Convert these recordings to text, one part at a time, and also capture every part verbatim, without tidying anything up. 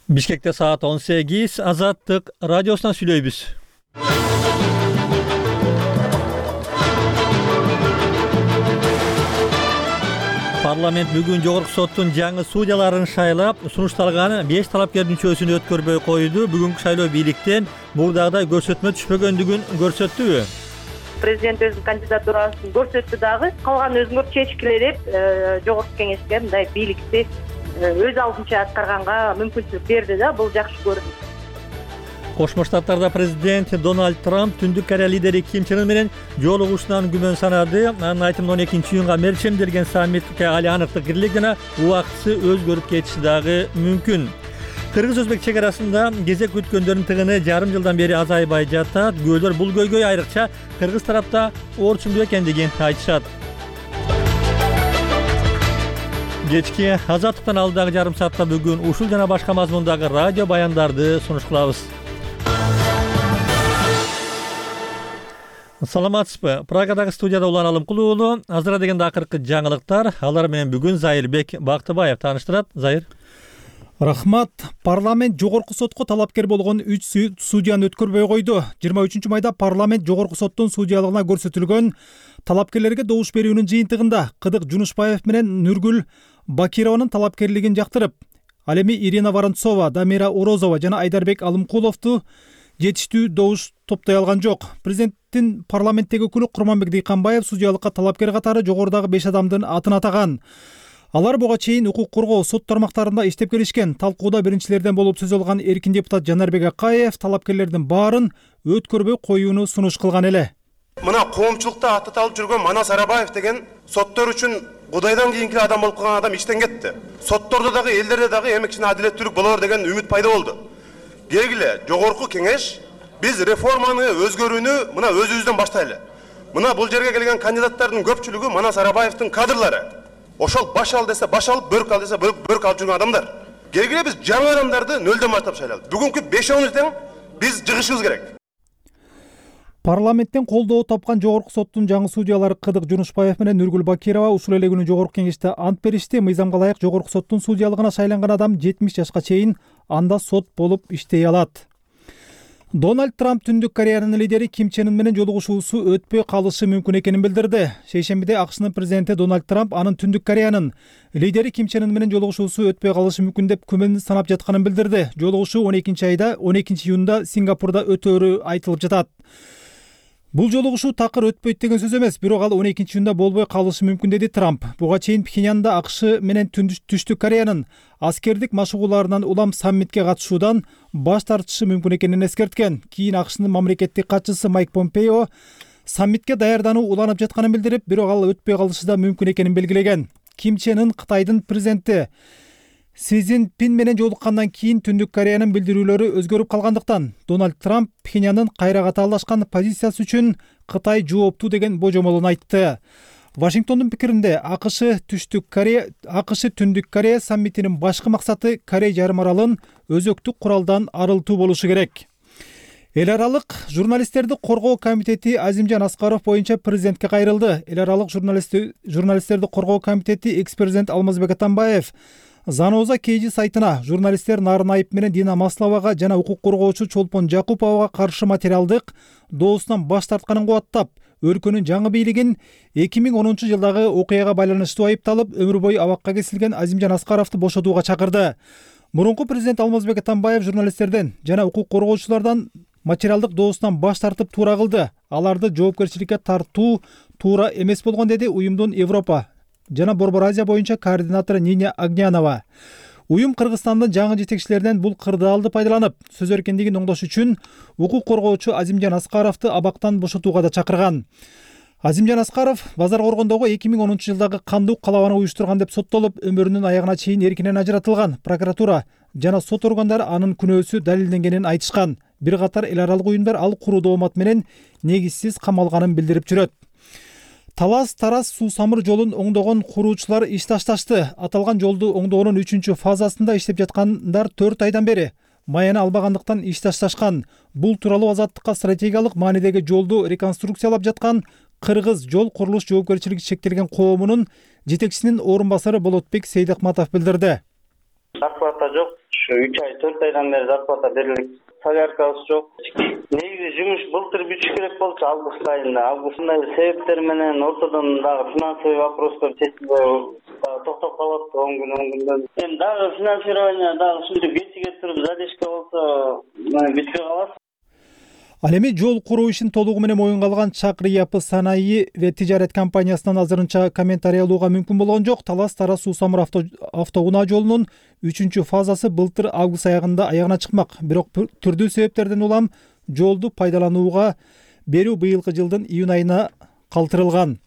Бишкекте саат он сегиз. Азаттык радиосунан сүйлөйбүз. Парламент бүгүн жогорку соттун жаңы судьяларын шайлап, сунушталган беш талапкердин чөйсүн өткөрбөй койду. Бүгүнкү шайлоо бийликтен мурдагыдай көрсөтмө түшпөгөндүгүн көрсөттүбү? Президент өзүнүн кандидатурасын көрсөттү дагы. Калган өзүңөр чечкиле деп жогорку кеңешке мындай бийликти өз алдынча аткарганга мүмкүнчүлүк берди да, бул жакшы көрүнүш. Кошмо Штаттарда президент Дональд Трамп Түндүк Корея лидери Ким Чен Ын менен жолугушуунан күмөн санады. Анын айтымында он экинчи июнга мерчемделген саммитке али аныктык кирилик жана убактысы өзгөрүп кетиши дагы мүмкүн. Кыргыз-өзбек чек арасында кезек күткөндөрдүн тыгыны жарым жылдан бери азайбай жатат. Күбөлөр бул көйгөй айрыкча кыргыз тарапта орчундуу экендигин айтышат. Кечки Азаттыктан алдыдагы жарым саатта бүгүн ушул жана башка мазмундагы радио баяндарды сунуш кылабыз. Саламатсызбы? Прагадагы студияда Улан Алымкул уулу. Азыра дегенде акыркы жаңылыктар. Алар менен бүгүн Зайырбек Бактыбаев тааныштырат. Зайыр. Рахмат. Парламент жогорку сотко талапкер болгон үч судьяны өткөрбөй койду. жыйырма үчүнчү майда парламент жогорку соттун судьялыгына көрсөтүлгөн талапкерлерге добуш берүүнүн жыйынтыгында Кыдык Жунушбаев менен Нургүл Бакированын талапкерлигин жактырып, ал эми Ирина Воронцова, Дамира Орозова жана Айдарбек Алымкуловду жетиштүү добуш топтой алган жок. Президенттин парламенттеги өкүлү Курманбек Дыйканбаев судьялыкка талапкер катары жогорудагы беш адамдын атын атаган. Алар буга чейин укук коргоо сот тармактарында иштеп келишкен. Талкууда биринчилерден болуп сөз алган эркин депутат Жанарбек Акаев талапкерлердин баарын өткөрбөй коюуну сунуш кылган эле. Мына коомчулукта атталып жүргөн Манас Арабаев деген соттор үчүн Кудайдан кийинки адам болуп калган адам иштен кетти. Соттордо дагы, элдерде дагы эми кичине адилеттүүлүк болор деген үмүт пайда болду. Келгиле, жогорку кеңеш биз реформаны өзгөрүүнү мына өзүбүздөн баштайлы. Мына бул жерге келген кандидаттардын көпчүлүгү Манас Арабаевдин кадрлары. Ошол баш ал десе баш алып, бөрк ал десе бөрк алып жүргөн адамдар. Келгиле биз жаңы адамдарды нөлдөн баштап шайлайлы. Бүгүнкү бешөөбүз тең биз жыгышыбыз керек. Парламенттен колдоо тапкан жогорку соттун жаңы судьялары Кыдык Жунушбаев менен Нургүл Бакирова ушул эле күнү жогорку кеңеште ант беришти. Мыйзамга ылайык жогорку соттун судьялыгына шайланган адам жетимиш жашка чейин анда сот болуп иштей алат. Дональд Трамп Түндүк Кореянын лидери Ким Чен Ын менен жолугушуусу өтпөй калышы мүмкүн экенин билдирди. Шейшембиде АКШнын президенти Дональд Трамп анын Түндүк Кореянын лидери Ким Чен Ын менен жолугушуусу өтпөй калышы мүмкүн деп күмөн санап жатканын билдирди. Жолугушуу он экинчи айда он экинчи июнда Сингапурда өтөөрү айтылып жатат. Бул жолугушуу такыр өтпөйт деген сөз эмес, бирок ал он экинчи июнда болбой калышы мүмкүн деди Трамп. Буга чейин Пхеньянда АКШ менен Түштүк Кореянын аскердик машыгууларынан улам саммитке катышуудан баш тартышы мүмкүн экенин эскерткен. Кийин АКШнын мамлекеттик катчысы Майк Помпео саммитке даярдануу уланып жатканын билдирип, бирок ал өтпөй калышы да мүмкүн экенин белгилеген. Ким Чен Ын Кытайдын президенти Си Цзиньпин менен жолуккандан кийин Түндүк Кореянын билдирүүлөрү өзгөрүп калгандыктан Дональд Трамп Пхеньяндын кайра катаалашкан позициясы үчүн Кытай жооптуу деген божомолун айтты. Вашингтондун пикиринде АКШ Түштүк Корея АКШ Түндүк Корея саммитинин башкы максаты Корей жарым аралын өзөктүк куралдан арылтуу болушу керек. Эл аралык журналисттерди коргоо комитети Азимжан Аскаров боюнча президентке кайрылды. Эл аралык журналисттерди коргоо комитети экс-президент Алмазбек Атамбаев Заноза Кейжи сайтына журналисттер Нарын Айып менен Дина Масловага жана укук коргоочу Чолпон Жакуповага каршы материалдык доосунан баш тартканын кубаттап, өлкөнүн жаңы бийлигин эки миң онунчу жылдагы окуяга байланыштуу айыпталып, өмүр бою абакка кесилген Азимжан Аскаровду бошотууга чакырды. Мурунку президент Алмазбек Атамбаев журналисттерден жана укук коргоочулардан материалдык доосунан баш тартып туура кылды. Аларды жоопкерчиликке тартуу туура эмес болгон деди уюмдун Европа жана Борбор Азия боюнча координатору Ниня Агнянова. Уюм Кыргызстандын жаңы жетекчилеринен бул кырдаалды пайдаланып, сөз эркиндигин оңдош үчүн укук коргоочу Азимжан Аскаровду абактан бошотууга да чакырган. Азимжан Аскаров Базар Коргондогу эки миң онунчу жылдагы кандуу калабаны уюштурган деп соттолуп, өмүрүнүн аягына чейин эркинен ажыратылган. Прокуратура жана сот органдары анын күнөөсү далилденгенин айтышкан. Бир катар эл аралык уюмдар ал куруу доомат менен негизсиз камалганын билдирип жүрөт. Талас Тарас суу самыр жолун оңдогон куруучулар иш ташташты. Аталган жолду оңдоонун үчүнчү фазасында иштеп жаткандар төрт айдан бери майаны албагандыктан иш ташташкан. Бул тууралуу Азаттыкка стратегиялык маанидеги жолду реконструкциялап жаткан Кыргыз жол курулуш жоопкерчилиги чектелген коомунун жетекчисинин орун басары Болотбек Сейдахматов билдирди. Акыбатта жок, ушу үч ай төрт айдан бери зарплата берилет. Соляркабыз жок. Негизи жумуш былтыр бүтүш керек болчу август айында. Августтай себептер менен ортодон дагы финансовый вопростор чечилбей токтоп калат он күн он күндөн. Эми дагы финансирование дагы ушинтип кечиге туруп задержка болсо бүтпөй калат. Ал эми жол куруу ишин толугу менен моюнга алган Чакры Япы санаий ve тижарет компаниясынан азырынча комментарий алууга мүмкүн болгон жок. Талас-Тараз Суу-Самур автоунаа жолунун үчүнчү фазасы былтыр август аягында аягына чыкмак. Бирок түрдүү себептерден улам жолду пайдаланууга берүү быйылкы жылдын июнь айына калтырылган.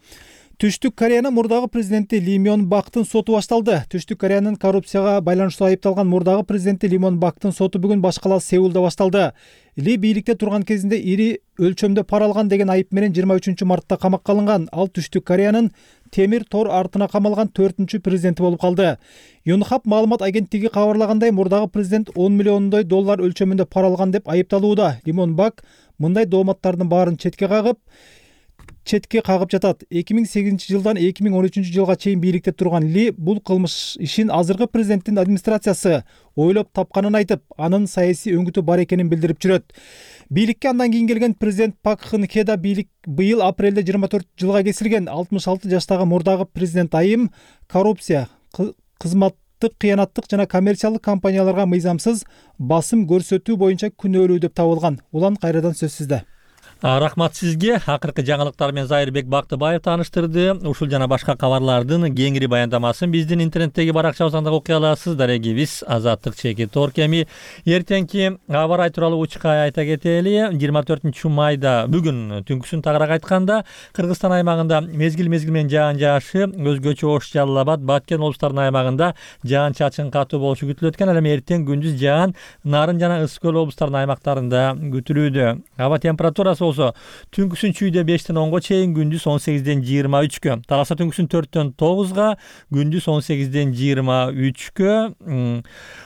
Түштүк Кореянын мурдагы президенти Ли Мён Бактын соту башталды. Түштүк Кореянын коррупцияга байланыштуу айыпталган мурдагы президенти Ли Мён Бактын соту бүгүн баш кала Сеулда башталды. Ли бийликте турган кезинде ири өлчөмдө пара алган деген айып менен жыйырма үчүнчү мартта камакка алынган. Ал Түштүк Кореянын темир тор артына камалган төртүнчү президенти болуп калды. Yonhap маалымат агенттиги кабарлагандай, мурдагы президент он миллиондой доллар өлчөмүндө пара алган деп айыпталууда. Ли Мён Бак мындай дооматтардын баарын четке кагып четке кагып жатат. эки миң сегизинчи жылдан эки миң он үчүнчү жылга чейин бийликте турган Ли бул кылмыш ишин азыркы президенттин администрациясы ойлоп тапканын айтып, анын саясий өңүтү бар экенин билдирип жүрөт. Бийликке андан кийин келген президент Пак Кын Хе да бийлик быйыл апрелде жыйырма төрт жылга кесилген. алтымыш алты жаштагы мурдагы президент айым коррупция, кызматтык кыянаттык жана коммерциялык компанияларга мыйзамсыз басым көрсөтүү боюнча күнөөлүү деп табылган. Улан кайрадан сөз сизде. Рахмат сизге. Акыркы жаңылыктар менен Зайырбек Бактыбаев тааныштырды. Ушул жана башка кабарлардын кеңири баяндамасын биздин интернеттеги баракчабыздан да окуй аласыз. Дарегибиз Азаттык чеки Торкеми. Эртеңки аба ырайы тууралуу учкай айта кетели. жыйырма төртүнчү майда бүгүн түнкүсүн тагыраак айтканда Кыргызстан аймагында мезгил-мезгил менен жаан жаашы, өзгөчө Ош, Жалал Абад, Баткен облустарынын аймагында жаан чачын катуу болушу күтүлөт экен. Ал эми эртең күндүз жаан Нарын жана Ысык көл облустарынын аймактарында күтүлүүдө. Аба температурасы болсо түнкүсүн чүйдө бештен онго чейин, күндүз он сегизден жыйырма үчкө. Таласа түнкүсүн төрттөн тогузга, күндүз он сегизден жыйырма үчкө.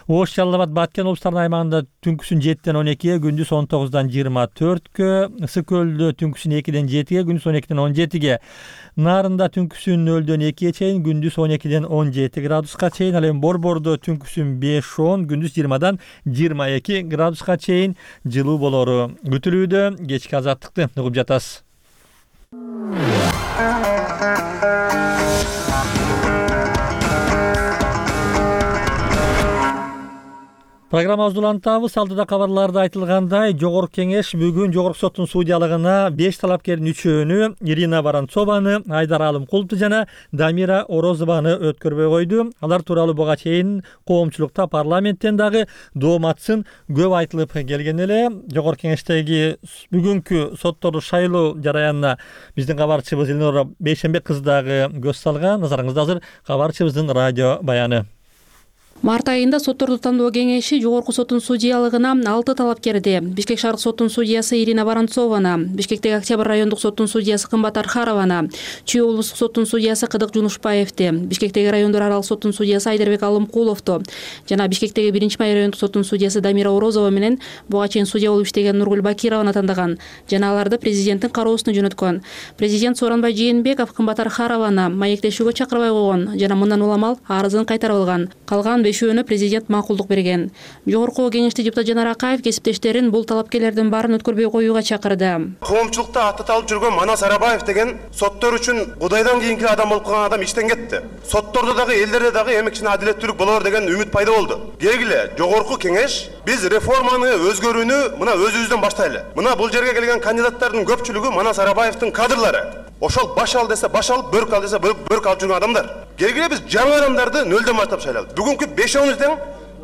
Ош, Жалал Абад, Баткен облустарынын аймагында түнкүсүн жеттен он экиге, күндүз он тогуздан жыйырма төрткө. Ысык көлдө түнкүсүн экиден жетиге, күндүз он экиден он жетиге. Нарында түнкүсүн нөлдөн экиге чейин, күндүз он экиден он жети градуска чейин. Ал эми Борбордо түнкүсүн беш он, күндүз жыйырмадан жыйырма эки градуска чейин жылуу болору күтүлүүдө. Кечки азаттыкты угуп жатасыз. Программабызды улантабыз. Алдыда кабарларда айтылгандай, Жогорку Кеңеш бүгүн Жогорку соттун судьялыгына беш талапкердин үчөөнү, Ирина Воронцованы, Айдар Алымкуловду жана Дамира Орозованы өткөрбөй койду. Алар тууралуу буга чейин коомчулукта, парламенттен дагы дооматсын көп айтылып келген эле. Жогорку Кеңештеги бүгүнкү сотторду шайлоо жараянына биздин кабарчыбыз Элнора Бейшенбек кызы дагы көз салган. Назарыңызда азыр кабарчыбыздын радио баяны. Март айында сотторду тандоо кеңеши Жогорку соттун судьялыгына алты талапкерди: Бишкек шаарык соттун судьясы Ирина Воронцованы, Бишкектеги Октябрь райондук соттун судьясы Кымбат Архарованы, Чүй облустук соттун судьясы Кыдык Жунушпаевди, Бишкектеги райондор аралык соттун судьясы Айдарбек Алымкуловду жана Бишкектеги биринчи май райондук соттун судьясы Дамира Орозова менен буга чейин судья болуп иштеген Нургүл Бакированы тандаган жана аларды президенттин кароосуна жөнөткөн. Президент Сооронбай Жээнбеков Кымбат Архарованы маектешүүгө чакырбай койгон жана мындан улам ал арызын кайтарып алган. Калган бешөөнө президент макулдук берген. Жогорку Кеңеште депутат Жанар Акаев кесиптештерин бул талапкерлердин баарын өткөрбөй коюуга чакырды. Коомчулукта аты талып жүргөн Манас Арабаев деген соттор үчүн Кудайдан кийинки адам болуп калган адам иштен кетти. Соттордо дагы, элдерде дагы эмекчине адилеттүүлүк болор деген үмүт пайда болду. Келгиле, Жогорку Кеңеш биз реформаны, өзгөрүүнү мына өзүбүздөн баштайлы. Мына бул жерге келген кандидаттардын көпчүлүгү Манас Арабаевдин кадрлары. Ошол баш ал десе баш алып, бөрк ал десе бөрк алып жүргөн адамдар. Келгиле биз жаңы адамдарды нөлдөн баштап шайладык. Бүгүнкү бешөөбүздөн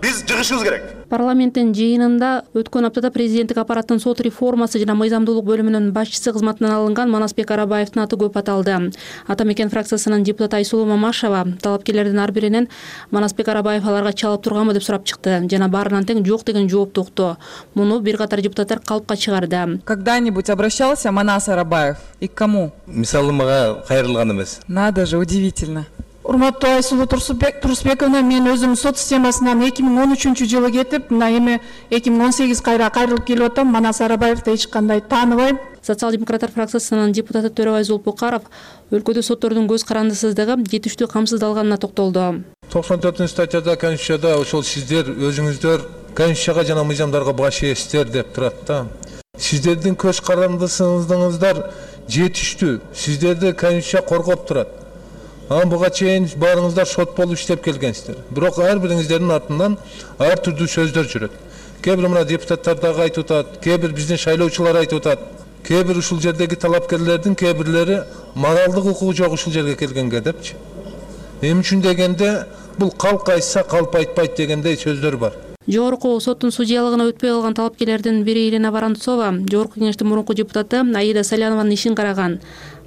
биз жыгышыбыз керек. Парламенттин жыйынында өткөн аптада президенттик аппараттын сот реформасы жана мыйзамдуулук бөлүмүнүн башчысы кызматынан алынган Манасбек Арабаевдин аты көп аталды. Ата Мекен фракциясынын депутаты Айсулуу Мамашева талапкерлердин ар биринен Манасбек Арабаев аларга чалып турганбы деп сурап чыкты жана баарынан тең жок деген жоопту укту. Муну бир катар депутаттар калпка чыгарды. Когда-нибудь обращался Манас Арабаев и к кому? Мисалы мага кайрылган эмес. Надо же, удивительно. Урматтуу Айсулуу Турсубековна, мен өзүм сот системасынан эки миң он үчүнчү жылы кетип, мына эми эки миң он сегиз кайра кайрылып келип атам. Манас Арабаевди эч кандай тааныбайм. Социал-демократтар фракциясынын депутаты Төрөбай Зулпукаров өлкөдө соттордун көз карандысыздыгы жетиштүү камсыздалганына токтолду. токсон төртүнчү статьяда Конституцияда ошол сиздер өзүңүздөр Конституцияга жана мыйзамдарга баш ээсиздер деп турат да. Сиздердин көз карандысыңыздар жетиштүү. Сиздерди Конституция коргоп турат. Анан буга чейин баарыңыздар сот болуп иштеп келгенсиздер. Бирок ар бириңиздердин артынан ар түрдүү сөздөр жүрөт. Кээ бир мына депутаттар дагы айтып атат, кээ бир биздин шайлоочулар айтып атат. Кээ бир ушул жердеги талапкерлердин кээ бирлери моралдык укугу жок ушул жерге келгенге депчи. Эмне үчүн дегенде бул калк айтса калп айтпайт дегендей сөздөр бар. Жогорку соттун судьялыгына өтпөй калган талапкерлердин бири Ирина Воронцова Жогорку кеңештин мурунку депутаты Аида Салянованын ишин караган.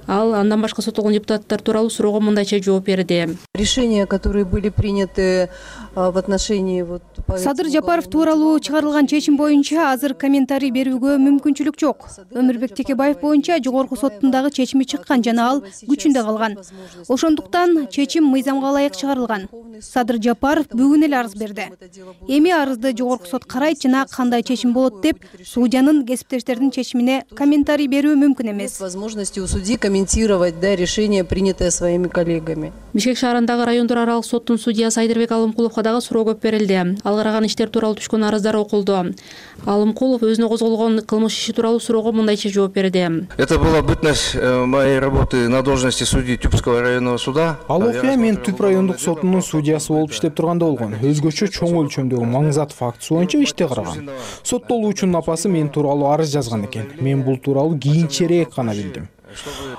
Ал андан башка соттолгон депутаттар тууралуу суроого мындайча жооп берди. Решения, которые были приняты в отношении вот Садыр Жапаров тууралуу чыгарылган чечим боюнча азыр комментарий берүүгө мүмкүнчүлүк жок. Өмүрбек Текебаев боюнча жогорку соттун дагы чечими чыккан жана ал күчүндө калган. Ошондуктан чечим мыйзамга ылайык чыгарылган. Садыр Жапаров бүгүн эле арыз берди. Эми арызды жогорку сот карайт жана кандай чечим болот деп судьянын кесиптештердин чечимине комментарий берүү мүмкүн эмес. Возможности у судьи комментировать да решение, принятое своими коллегами. Бишкек шаарындагы райондор аралык соттун судьясы Айдырбек Алымкуловго дагы суроо көп берилди. Ал караган иштер тууралуу түшкөн арыздар окулду. Алымкулов өзүнө козголгон кылмыш иши тууралуу суроого мындайча жооп берди. Это была бытность моей работы на должности судьи Тюбского районного суда. Ал окуя мен Түп райондук сотунун судьясы болуп иштеп турганда болгон. Өзгөчө чоң өлчөмдөгү маңызат фактысы боюнча иште караган. Соттолуучунун апасы мен тууралуу арыз жазган экен. Мен бул тууралуу кийинчерээк гана билдим.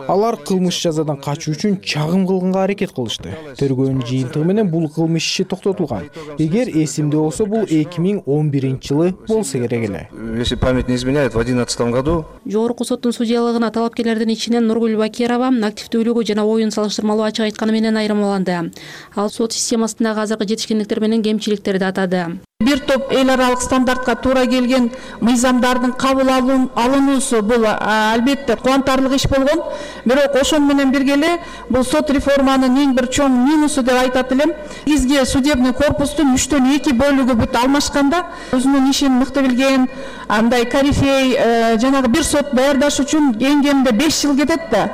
Алар кылмыш жазадан качуу үчүн чагым кылганга аракет кылышты. Тергөөнүн жыйынтыгы менен бул кылмыш иши токтотулган. Эгер эсимде болсо, бул эки миң он биринчи жылы болсо керек эле. Если память не изменяет, в одиннадцатом году. Жогорку соттун судьялыгына талапкерлердин ичинен Нургүл Бакирова активдүүлүгү жана оюн салыштырмалуу ачык айтканы менен айырмаланды. Ал сот системасындагы азыркы жетишкендиктер менен кемчиликтерди атады. Бир топ эл аралык стандартка туура келген мыйзамдардын кабыл алынуусу бул албетте кубантарлык иш болгон. Бирок ошон менен бирге эле бул сот реформанын эң бир чоң минусу деп айтат элем. Бизге судебный корпустун үчтөн эки бөлүгү бүт алмашканда өзүнүн ишин мыкты билген андай корифей жанагы бир сот даярдаш үчүн эң кеминде беш жыл кетет да.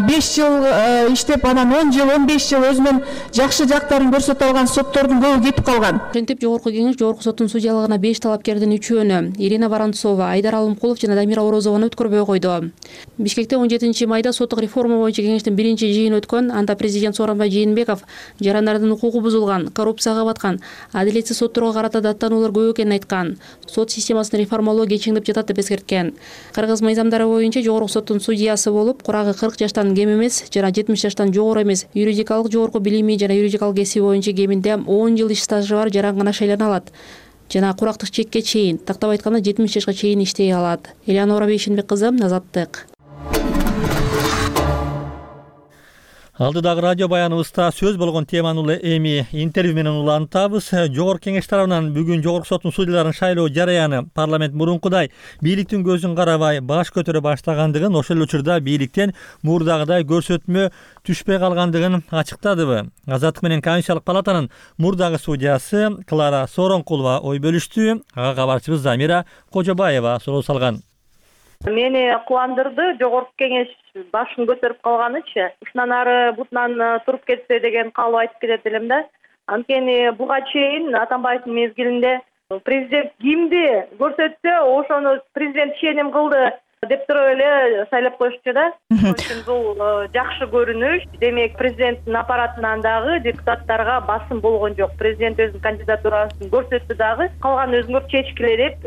беш жыл иштеп анан он жыл он беш жыл өзүнүн жакшы жактарын көрсөтө алган соттордун көбү кетип калган. Ошентип жогорку кеңеш жогорку соттун судьялыгына беш талапкердин үчөөнү Ирина Воронцова, Айдар Алымкулов жана Дамира Орозованы өткөрбөй койду. Бишкекте он жетинчи майда соттук реформа боюнча кеңештин биринчи жыйыны өткөн. Анда президент Сооронбай Жээнбеков жарандардын укугу бузулган, коррупцияга баткан, адилетсиз сотторго карата даттануулар көп экенин айткан. Сот системасын реформалоо кечиңдеп жатат деп эскерткен. Кыргыз мыйзамдары боюнча жогорку соттун судьясы болуп, курагы кырк жаштан кем эмес жана жетимиш жаштан жогору эмес, юридикалык жогорку билими жана юридикалык кесиби боюнча кеминде он жыл иш стажы бар жаран гана шайлана алат. Жана курактык чекке чейин, тактап айтканда жетимиш жашка чейин иштей алат. Элеонора Бейшенбек кызы, Азаттык. Алдыдагы радио баяныбызда сөз болгон теманы улы эми интервью менен улантабыз. Жогорку кеңеш тарабынан бүгүн жогорку соттун судьяларын шайлоо жараяны парламент мурункудай бийликтин көзүн карабай баш көтөрө баштагандыгын, ошол эле учурда бийликтен мурдагыдай көрсөтмө түшпөй калгандыгын ачыктадыбы. Азаттык менен Конституциялык палатанын мурдагы судьясы Клара Сооронкулова ой бөлүштү. Ага кабарчыбыз Замира Кожобаева суроо салган. Мени кубандырды жогорку кеңеш башын көтөрүп калганычы. Ушунан ары бутунан туруп кетсе деген каалоо айтып кетет элем да. Анткени буга чейин Атамбаевдин мезгилинде президент кимди көрсөтсө, ошону президент ишеним кылды деп туруп эле шайлап коюшчу да. Бул жакшы көрүнүш. Демек, президенттин аппаратынан дагы депутаттарга басым болгон жок. Президент өзүнүн кандидатурасын көрсөттү дагы. Калган өзүңөр чечкилерип,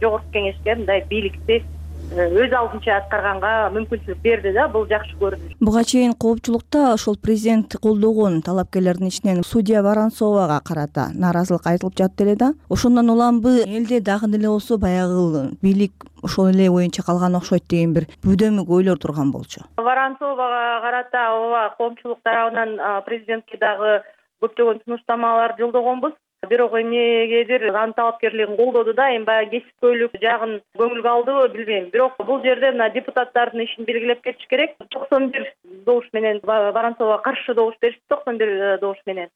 жогорку кеңешке мындай бийликти өз алдынча аткарганга мүмкүнчүлүк берди да, бул жакшы көрүнүш. Буга чейин коопчулукта ошол президент колдогон талапкерлердин ичинен судья Воронцовага карата нааразылык айтылып жатты эле да. Ошондон улам элде дагы деле болсо баягы бийлик ошол эле боюнча калган окшойт деген бир бүдөмүк ойлор турган болчу. Воронцовага карата ооба коомчулук тарабынан президентке дагы көптөгөн сунуштамалар жолдогонбуз. Бирок эмнегедир анын талапкерлигин колдоду да, эми баягы кесипкөйлүк жагын көңүлгө алдыбы билбейм. Бирок бул жерде мына депутаттардын ишин белгилеп кетиш керек. токсон бир добуш менен Воронцовго каршы добуш беришти, токсон бир добуш менен.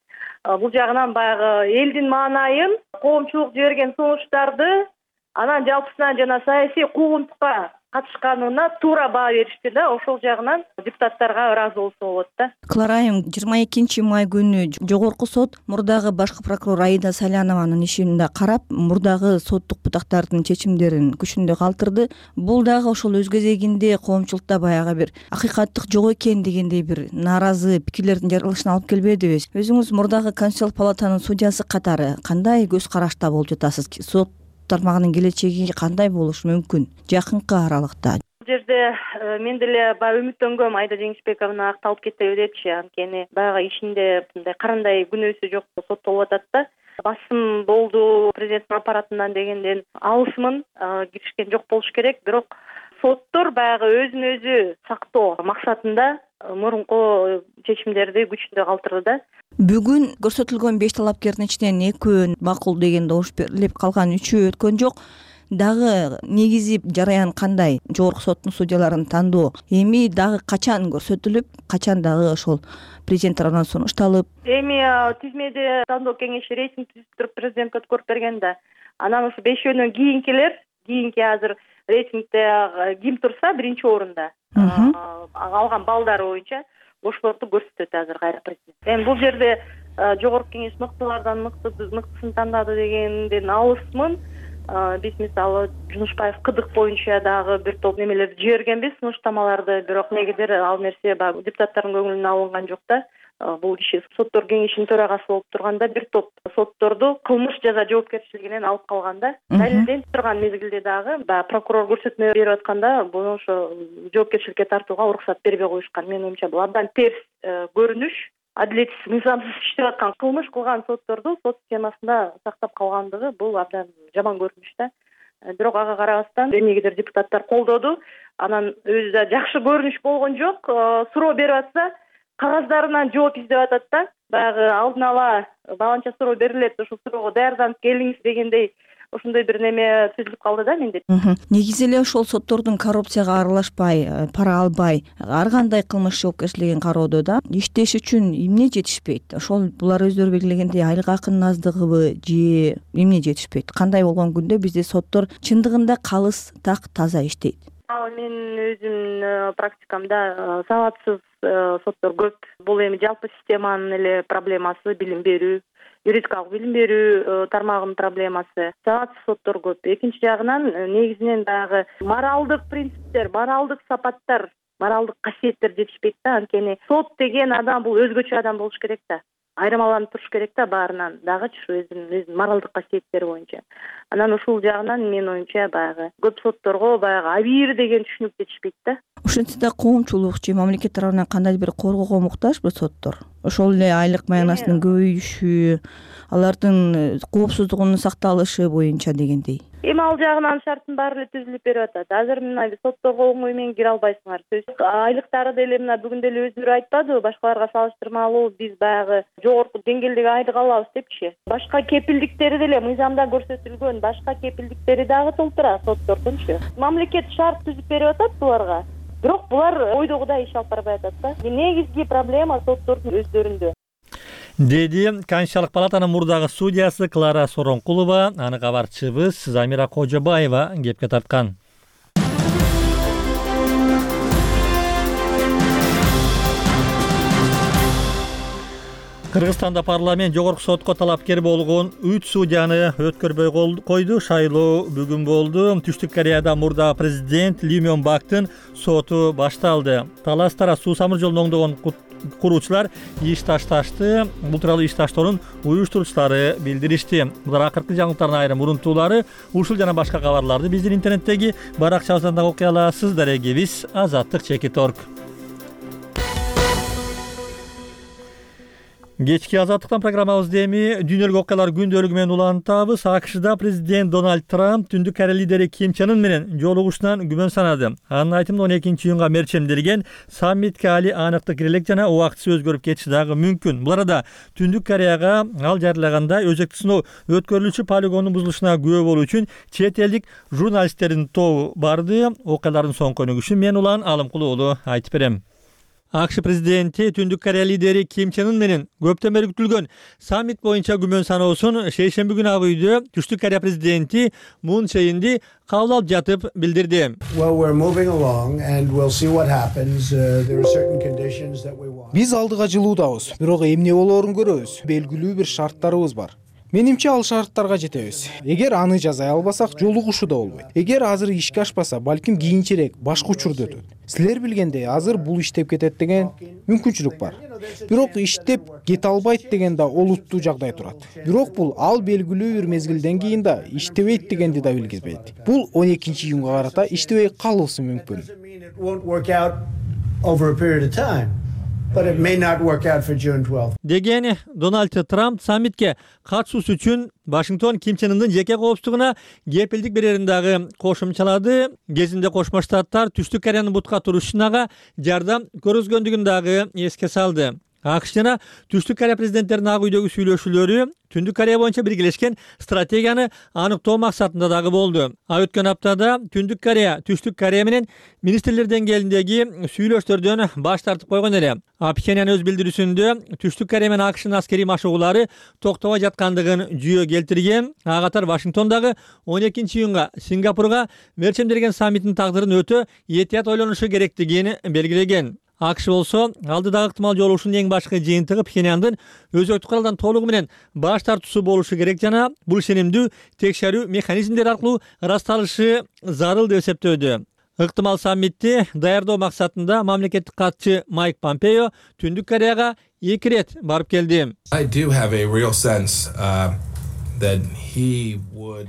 Бул жагынан баягы элдин маанайын, коомчулук жиберген сунуштарды анан жалпысынан жана саясий куугунтукка катышканына туура баа беришти да. Ошол жагынан депутаттарга ыраазы болсо болот да. Клара айым, жыйырма экинчи май күнү жогорку сот мурдагы башкы прокурор Аида Салянованын ишин да карап, мурдагы соттук бутактардын чечимдерин күчүндө калтырды. Бул дагы ошол өз кезегинде коомчулукта баягы бир акыйкаттык жок экен дегендей бир нааразы пикирлердин жаралышына алып келбедиби? Өзүңүз мурдагы Конституциялык палатанын судьясы катары кандай көз карашта болуп жатасыз? Сот тармагынын келечеги кандай болушу мүмкүн жакынкы аралыкта? Бул жерде мен деле баягы үмүттөнгөм, Айда Жеңишбековна акталып кетеби депчи. Анткени баягы ишинде мындай карандай күнөөсү жок соттолуп атат да. Басым болду президенттин аппаратынан дегенден алысмын, киришкен жок болуш керек. Бирок соттор баягы өзүн өзү сактоо максатында мурунку чечимдерди күчүндө калтырды да. Бүгүн көрсөтүлгөн беш талапкердин ичинен экөө макул деген добуш берилип, калган үчөө өткөн жок. Дагы негизи жараян кандай? Жогорку соттун судьяларын тандоо эми дагы качан көрсөтүлүп, качан дагы ошол президент тарабынан сунушталып? Эми тизмеде тандоо кеңеши рейтинг түзүп туруп президентке өткөрүп берген да. Анан ушу бешөөнөн кийинкилер, кийинки азыр рейтингде ким турса биринчи орунда алган балдары боюнча ошолорду көрсөтөт азыр кайра президент. Эми бул жерде жогорку кеңеш мыктылардан мыктысын тандады дегенден алысмын. Биз мисалы Жунушбаев кыдык боюнча дагы бир топ немелерди жибергенбиз, сунуштамаларды, бирок негедир ал нерсе баягы депутаттардын көңүлүнө алынган жок да. Бул киши соттор кеңешинин төрагасы болуп турганда бир топ сотторду кылмыш жаза жоопкерчилигинен алып калганда, далилденип турган мезгилде дагы баягы прокурор көрсөтмө берип атканда буну ошо жоопкерчиликке тартууга уруксат бербей коюшкан. Менин оюмча бул абдан терс көрүнүш. Адилетсиз, мыйзамсыз иштеп аткан, кылмыш кылган сотторду сот системасында сактап калгандыгы бул абдан жаман көрүнүш да. Бирок ага карабастан эмнегедир депутаттар колдоду. Анан өзү да жакшы көрүнүш болгон жок. Суроо берип атса, кагаздарынан жооп издеп атат да. Баягы алдын ала баланча суроо берилет, ошол суроого даярданып келиңиз дегендей ошондой бир неме түзүлүп калды да менде. Негизи эле ошол соттордун коррупцияга аралашпай, пара албай, ар кандай кылмыш жоопкерчилигин кароодо да иштеш үчүн эмне жетишпейт? Ошол булар өздөрү белгилегендей айлык акынын аздыгыбы же эмне жетишпейт? Кандай болгон күндө бизде соттор чындыгында калыс, так, таза иштейт? Мен өзүмдүн практикамда сабатсыз соттор көп. Бул эми жалпы системанын эле проблемасы, билим берүү, юридикалык билим берүү тармагынын проблемасы. Сабатсыз соттор көп. Экинчи жагынан негизинен дагы моралдык принциптер, моралдык сапаттар, моралдык касиеттер жетишпейт да. Анткени сот деген адам бул өзгөчө адам болуш керек да. Айырмаланып туруш керек да баарынан, дагычы өзүнүн өзүнүн моралдык касиеттери боюнча. Анан ушул жагынан менин оюмча баягы көп сотторго баягы абийир деген түшүнүк жетишпейт да. Ошентсе да коомчулук же мамлекет тарабынан кандайдыр бир коргоого муктажбы соттор? Ошол эле айлык маянасынын көбөйүшү, алардын коопсуздугунун сакталышы боюнча дегендей. Эми ал жагынан шарттын баары эле түзүлүп берип атат. Азыр мына сотторго оңой менен кире албайсыңар. Айлыктары деле мына бүгүн деле өздөрү айтпадыбы, башкаларга салыштырмалуу биз баягы жогорку деңгээлдеги айлык алабыз депчи. Башка кепилдиктери деле мыйзамда көрсөтүлгөн, башка кепилдиктери дагы толтура соттордунчу. Мамлекет шарт түзүп берип атат буларга. Бирок булар ойдогудай иш алып барбай атат да. Негизги проблема соттордун өздөрүндө. Деди Конституциялык палатанын мурдагы судьясы Клара Соронкулова, аны кабарчыбыз Замира Кожобаева кепке тарткан. Кыргызстанда парламент жогорку сотко талапкер болгон үч судьяны өткөрбөй койду. Шайлоо бүгүн болду. Түштүк Кореяда мурда президент Ли Мён Бактын соту башталды. Таластара суу самыр жолун оңдогон куруучулар иш ташташты. Бул тууралуу иш таштоонун уюштуруучулары билдиришти. Булар акыркы жаңылыктардын айрым урунтуулары. Ушул жана башка кабарларды биздин интернеттеги баракчабыздан да окуй аласыз. Дарегибиз Азаттык Чекит точка орг. Кечки азаттыктан программабызды эми дүйнөлүк окуялар күндөлүгү менен улантабыз. АКШда президент Дональд Трамп Түндүк Корея лидери Ким Чен Ын менен жолугушуунан күмөн санады. Анын айтымында он экинчи июнга мерчемделген саммитке али аныктык кирелек жана убактысы өзгөрүп кетиши дагы мүмкүн. Бул арада Түндүк Кореяга ал жарылагандай өзөктүк сыноо өткөрүлүүчү полигондун бузулушуна күбө болуу үчүн чет элдик журналисттердин тобу барды. Окуялардын соңку өнүгүшүн мен Улан Алымкулуу уулу айтып берем. АКШ президенти Түндүк Корея лидери Ким Чен Ын менен көптөн бери күтүлгөн саммит боюнча күмөн саноосун шейшемби күнү Ак үйдө Түштүк Корея президенти Мун Чже Инди кабыл алып жатып билдирди. Биз алдыга жылуудабыз, бирок эмне болоорун көрөбүз. Белгилүү бир шарттарыбыз бар. Менимче ал шарттарга жетебиз. Эгер аны жаза албасак, жолугушуу да болбойт. Эгер азыр ишке ашпаса, балким кийинчерээк башка учурда өтөт. Силер билгендей, азыр бул иштеп кетет деген мүмкүнчүлүк бар. Бирок иштеп кете албайт деген да олуттуу жагдай турат. Бирок бул ал белгилүү бир мезгилден кийин да иштебейт дегенди да билгизбейт. Бул он экинчи июнга карата иштебей калышы мүмкүн. Деген Дональд Трамп саммитке катышуусу үчүн Вашингтон Ким Чен Ындын жеке коопсуздугуна кепилдик берерин дагы кошумчалады. Кезинде Кошмо Штаттар Түштүк Кореянын бутка турушуна жардам көргөзгөндүгүн дагы эске салды. АКШ жана Түштүк Корея президенттеринин Ак үйдөгү сүйлөшүүлөрү Түндүк Корея боюнча биргелешкен стратегияны аныктоо максатында дагы болду. А өткөн аптада Түндүк Корея Түштүк Корея менен министрлер деңгээлиндеги сүйлөштөрдөн баш тартып койгон эле. А Пхеньян өз билдирүүсүндө Түштүк Корея менен АКШнын аскерий машыгуулары токтобой жаткандыгын жүйө келтирген. А катар Вашингтон дагы он экинчи июнга Сингапурга мерчемделген саммиттин тагдырын өтө этият ойлонушу керектигин белгилеген. АКШ болсо алдыдагы ыктымал жолугушуунун эң башкы жыйынтыгы Пхеньяндын өзөктүк куралдан толугу менен баш тартуусу болушу керек жана бул ишенимдүү текшерүү механизмдери аркылуу ырасталышы зарыл деп эсептөөдө. Ыктымал саммитти даярдоо максатында мамлекеттик катчы Майк Помпео Түндүк Кореяга эки ирет барып келди.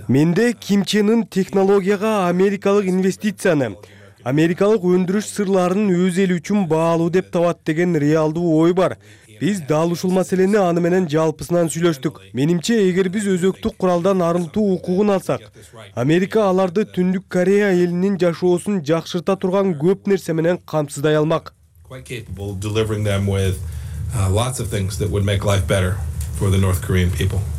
Менде Ким Чен Ын технологияга америкалык инвестицияны, америкалык өндүрүш сырларын өз эли үчүн баалуу деп табат деген реалдуу ой бар. Биз дал ушул маселени аны менен жалпысынан сүйлөштүк. Менимче, эгер биз өзөктүк куралдан арылтуу укугун алсак, Америка аларды Түндүк Корея элинин жашоосун жакшырта турган көп нерсе менен камсыздай алмак.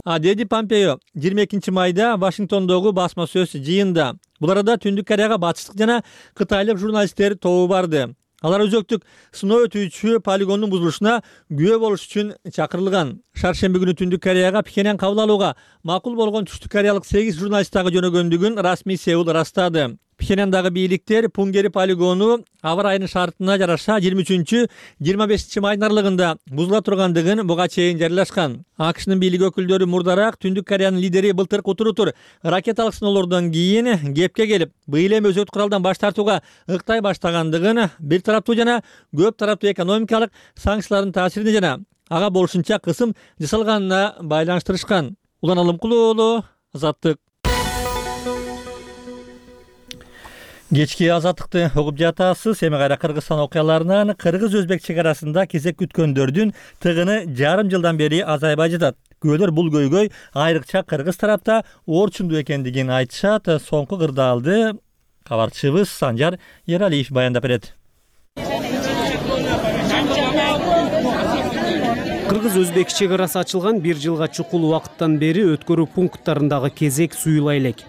А деди Помпео жыйырма экинчи майда Вашингтондогу басма сөз жыйында. Бул арада Түндүк Кореяга батыштык жана кытайлык журналисттер тобу барды. Алар өзөктүк сыноо өтүүчү полигондун бузулушуна күбө болуш үчүн чакырылган. Шаршемби күнү Түндүк Кореяга Пхеньян кабыл алууга макул болгон түштүк кореялык сегиз журналист дагы жөнөгөндүгүн расмий Сеул ырастады. Пхеньяндагы бийликтер Пунгери полигону аба ырайынын шартына жараша жыйырма үчүнчү жыйырма бешинчи майдын аралыгында бузула тургандыгын буга чейин жарыялашкан. АКШнын бийлик өкүлдөрү мурдараак Түндүк Кореянын лидери былтыр кутурутур ракеталык сыноолордон кийин кепке келип, быйыл эми өзөктүк куралдан баш тартууга ыктай баштагандыгын, бир тараптуу жана көп тараптуу экономикалык санкциялардын таасирине жана ага болушунча кысым жасалганына байланыштырышкан. Улан Алымкулуу уулу, Азаттык. Кечки азаттыкты угуп жатасыз. Эми кайра Кыргызстан окуяларынан кыргыз-өзбек чек арасында кезек күткөндөрдүн тыгыны жарым жылдан бери азайбай жатат. Күбөлөр бул көйгөй айрыкча кыргыз тарапта орчундуу экендигин айтышат. Соңку кырдаалды кабарчыбыз Санжар Ералиев баяндап берет. Кыргыз-өзбек чек арасы ачылган бир жылга чукул убакыттан бери өткөрүү пункттарындагы кезек суюла элек.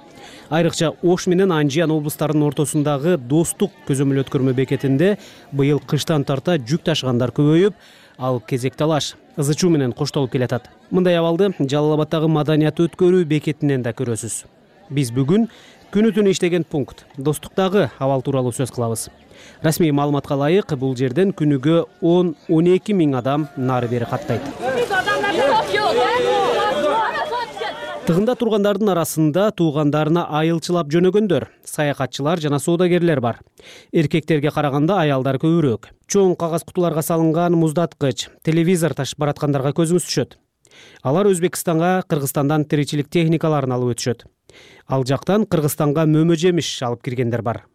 Айрыкча Ош менен Анжиян облустарынын ортосундагы Достук көзөмөл өткөрмө бекетинде быйыл кыштан тарта жүк ташыгандар көбөйүп, ал кезек талаш ызы чуу менен коштолуп келатат. Мындай абалды Жалал Абаддагы маданият өткөрүү бекетинен да көрөсүз. Биз бүгүн күнү түнү иштеген пункт Достуктагы абал тууралуу сөз кылабыз. Расмий маалыматка ылайык, бул жерден күнүгө он он эки миң адам нары бери каттайт. Тыгында тургандардын арасында туугандарына айылчылап жөнөгөндөр, саякатчылар жана соодагерлер бар. Эркектерге караганда аялдар көбүрөөк. Чоң кагаз кутуларга салынган муздаткыч, телевизор ташып бараткандарга көзүңүз түшөт. Алар Өзбекстанга Кыргызстандан тиричилик техникаларын алып өтүшөт. Ал жактан Кыргызстанга мөмө жемиш алып киргендер бар.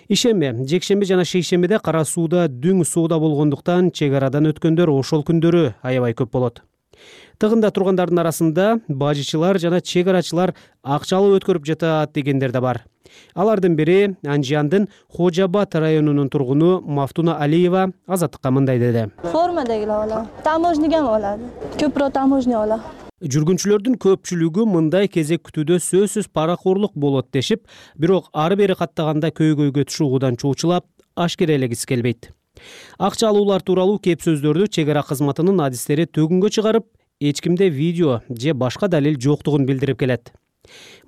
Ишемби, жекшемби жана шейшембиде Кара сууда дүң сууда болгондуктан чек арадан өткөндөр ошол күндөрү аябай көп болот. Тыгында тургандардын арасында бажычылар жана чек арачылар акчалуу өткөрүп жатат дегендер да бар. Алардын бири Анжияндын Хожа Абад районунун тургуну Мафтуна Алиева Азаттыкка мындай деди. Формадагилер алат, таможняга алат. Көпүрөөк таможня алат. Жүргүнчүлөрдүн көпчүлүгү мындай кезек күтүүдө сөзсүз паракорлук болот дешип, бирок ары бери каттаганда көйгөйгө чугуудан чоочулап ашкерелегиси келбейт. Акча алуулар тууралуу кеп сөздөрдү чек ара кызматынын адистери төгүнгө чыгарып, эч кимде видео же башка далил жоктугун билдирип келет.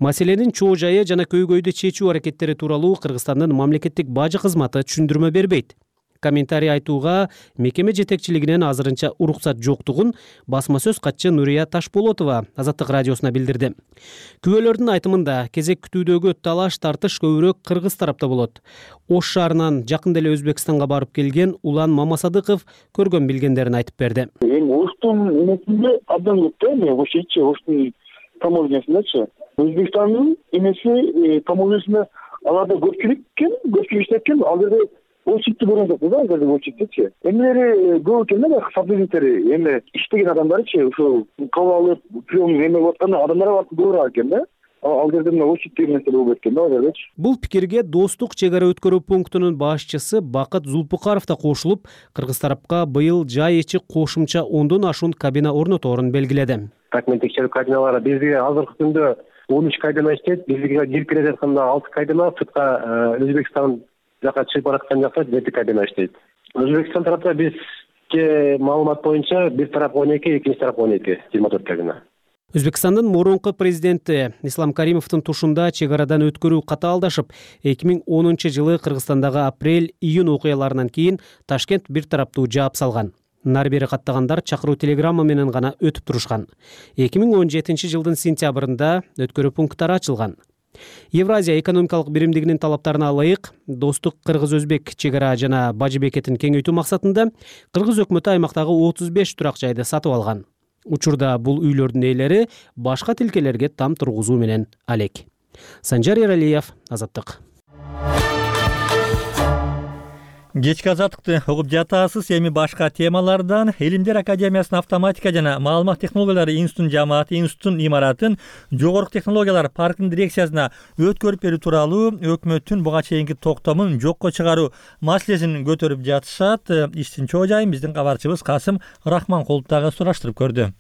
Маселенин чоо жайы жана көйгөйдү чечүү аракеттери тууралуу Кыргызстандын мамлекеттик бажы кызматы түшүндүрмө бербейт. Комментарий айтууга мекеме жетекчилигинен азырынча уруксат жоктугун басма сөз катчы Нурия Ташболотова Азаттык радиосуна билдирди. Күбөлөрдүн айтымында кезек күтүүдөгү талаш тартыш көбүрөөк кыргыз тарапта болот. Ош шаарынан жакында эле Өзбекстанга барып келген Улан Мамасадыков көргөн билгендерин айтып берди. Эми Оштун эмесинде абдан көп да, эми Ошчу Оштун таможнясындачы. Өзбекстандын эмеси таможнясында аларда көпчүлүк экен, көпчүлүк иштеп ал жерде очередти көргөн жокпуз да, азыр очередтичи. Эмелери көп экен да, сотрудниктери, эми иштеген адамдарчы, ошол кабыл алып, прием эме болуп атканда адамдар барып көбүрөөк экен да. Ал жерде мына очередти нерсе болуп кеткен да, ал жердечи. Бул пикирге Достук чек ара өткөрүү пунктунун башчысы Бакыт Зулпукаров да кошулуп, кыргыз тарапка быйыл жай ичи кошумча ондон ашуун кабина орноторун белгиледи. Документ текшерүү кабиналары бизге азыркы күндө он үч кабина иштейт, бизге кирип келе жатканда алты кабина, сыртка Өзбекстан жака чыгып бараткан жакта жети кабина иштейт. Өзбекстан тарапта бизге маалымат боюнча бир тарап он эки, экинчи тарап он эки, жыйырма төрт кабина. Өзбекстандын мурунку президенти Ислам Каримовдун тушунда чек арадан өткөрүү катаалдашып, эки миң онунчу жылы Кыргызстандагы апрель-июнь окуяларынан кийин Ташкент бир тараптуу жаап салган. Нары бери каттагандар чакыруу телеграмма менен гана өтүп турушкан. эки миң он жетинчи жылдын сентябрында өткөрүү пункттары ачылган. Евразия экономикалык биримдигинин талаптарына ылайык Достук кыргыз-өзбек чек ара жана бажы бекетин кеңейтүү максатында Кыргыз өкмөтү аймактагы отуз беш турак жайды сатып алган. Учурда бул үйлөрдүн ээлери башка тилкелерге там тургузуу менен алек. Санжар Эралиев, Азаттык. Кечки азаттыкты угуп жатасыз. Эми башка темалардан Илимдер академиясынын автоматика жана маалымат технологиялары институтунун жамааты институттун имаратын жогорку технологиялар паркынын дирекциясына өткөрүп берүү тууралуу өкмөттүн буга чейинки токтомун жокко чыгаруу маселесин көтөрүп жатышат. Иштин чоо жайын биздин кабарчыбыз Касым Рахманкулов дагы сураштырып көрдү.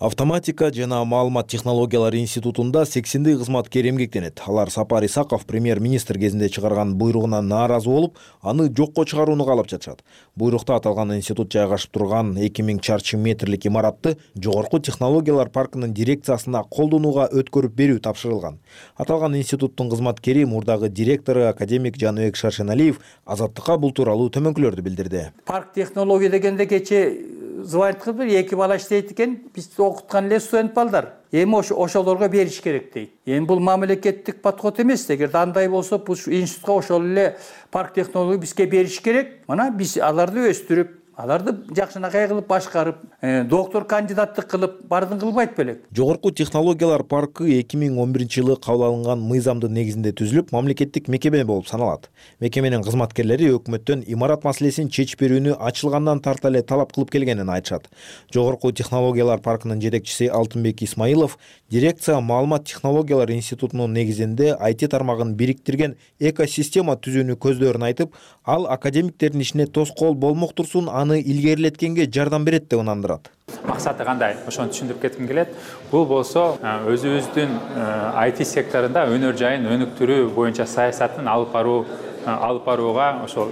Автоматика жана маалымат технологиялары институтунда сексендей кызматкер эмгектенет. Алар Сапар Исаков премьер-министр кезинде чыгарган буйругуна нааразы болуп, аны жокко чыгарууну каалап жатышат. Буйрукта аталган институт жайгашып турган эки миң чарчы метрлик имаратты жогорку технологиялар паркынын дирекциясына колдонууга өткөрүп берүү тапшырылган. Аталган институттун кызматкери мурдагы директору академик Жаныбек Шаршеналиев Азаттыкка бул тууралуу төмөнкүлөрдү билдирди. Парк технология дегенде кече звонит кылып эки бала иштейт экен, биз окуткан эле студент балдар. Эми ошолорго бериш керек дейт. Эми бул мамлекеттик подход эмес. Эгерде андай болсо, бул институтка ошол эле парк технология бизге бериш керек. Мына биз аларды өстүрүп, аларды жакшынакай кылып башкарып, доктор кандидаттык кылып бардын кылбайт белек. Жогорку технологиялар паркы эки миң он биринчи жылы кабыл алынган мыйзамдын негизинде түзүлүп, мамлекеттик мекеме болуп саналат. Мекеменин кызматкерлери өкмөттөн имарат маселесин чечип берүүнү ачылгандан тарта эле талап кылып келгенин айтышат. Жогорку технологиялар паркынын жетекчиси Алтынбек Исмаилов дирекция маалымат технологиялар институтунун негизинде ай ти тармагын бириктирген экосистема түзүүнү көздөрүн айтып, ал академиктердин ишине тоскоол болмок турсун аны илгерилеткенге жардам берет деп ынандырат. Максаты кандай? Ошону түшүндүрүп кетким келет. Бул болсо өзүбүздүн ай ти секторунда өнөр жайын өнүктүрүү боюнча саясатын алып баруу алып барууга ошол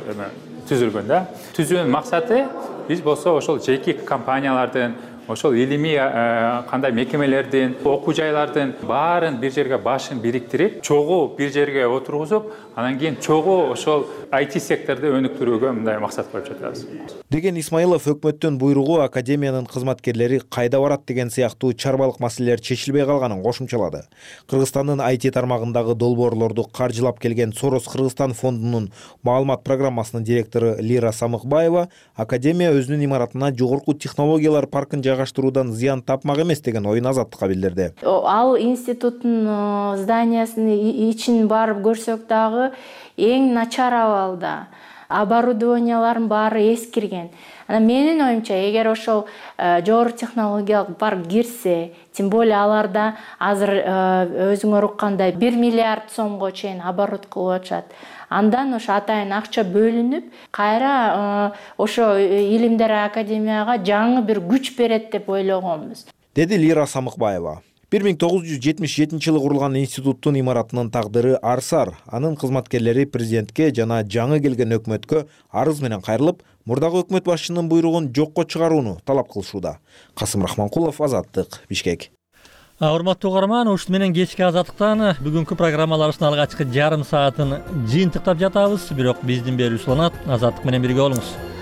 түзүлгөн да. Түзүүнүн максаты биз болсо ошол жеке компаниялардын, ошол илимий кандай мекемелердин, окуу жайлардын баарын бир жерге башын бириктирип, чогуу бир жерге отургузуп, анан кийин чогуу ошол ай ти секторду өнүктүрүүгө мындай максат коюп жатабыз. Деген Исмаилов өкмөттүн буйругу академиянын кызматкерлери кайда барат деген сыяктуу чарбалык маселелер чечилбей калганын кошумчалады. Кыргызстандын ай ти тармагындагы долбоорлорду каржылап келген Сорос Кыргызстан фондунун маалымат программасынын директору Лира Самыкбаева академия өзүнүн имаратына жогорку технологиялар паркын жайгаштыруудан зыян тапмак эмес деген оюн Азаттыкка билдирди. Ал институттун зданиясынын ичин барып көрсөк дагы эң начар абалда. Оборудованияларын баары эскирген. Анан менин оюмча, эгер ошол жогорку технологиялык парк кирсе, тем более аларда азыр өзүңөр уккандай бир миллиард сомго чейин оборот кылып атышат. Андан ошо атайын акча бөлүнүп, кайра ошо Илимдер академияга жаңы бир күч берет деп ойлогонбуз, деди Лира Самыкбаева. бир миң тогуз жүз жетимиш жетинчи жылы курулган институттун имаратынын тагдыры арсар. Анын кызматкерлери президентке жана жаңы келген өкмөткө арыз менен кайрылып, мурдагы өкмөт башчынын буйругун жокко чыгарууну талап кылышууда. Касым Рахманкулов, Азаттык, Бишкек. Урматтуу угарман, ушун менен кечки Азаттыктан бүгүнкү программаларыбыздын алгачкы жарым саатын жыйынтыктап жатабыз. Бирок биздин берүүбүз уланат. Азаттык менен бирге болуңуз.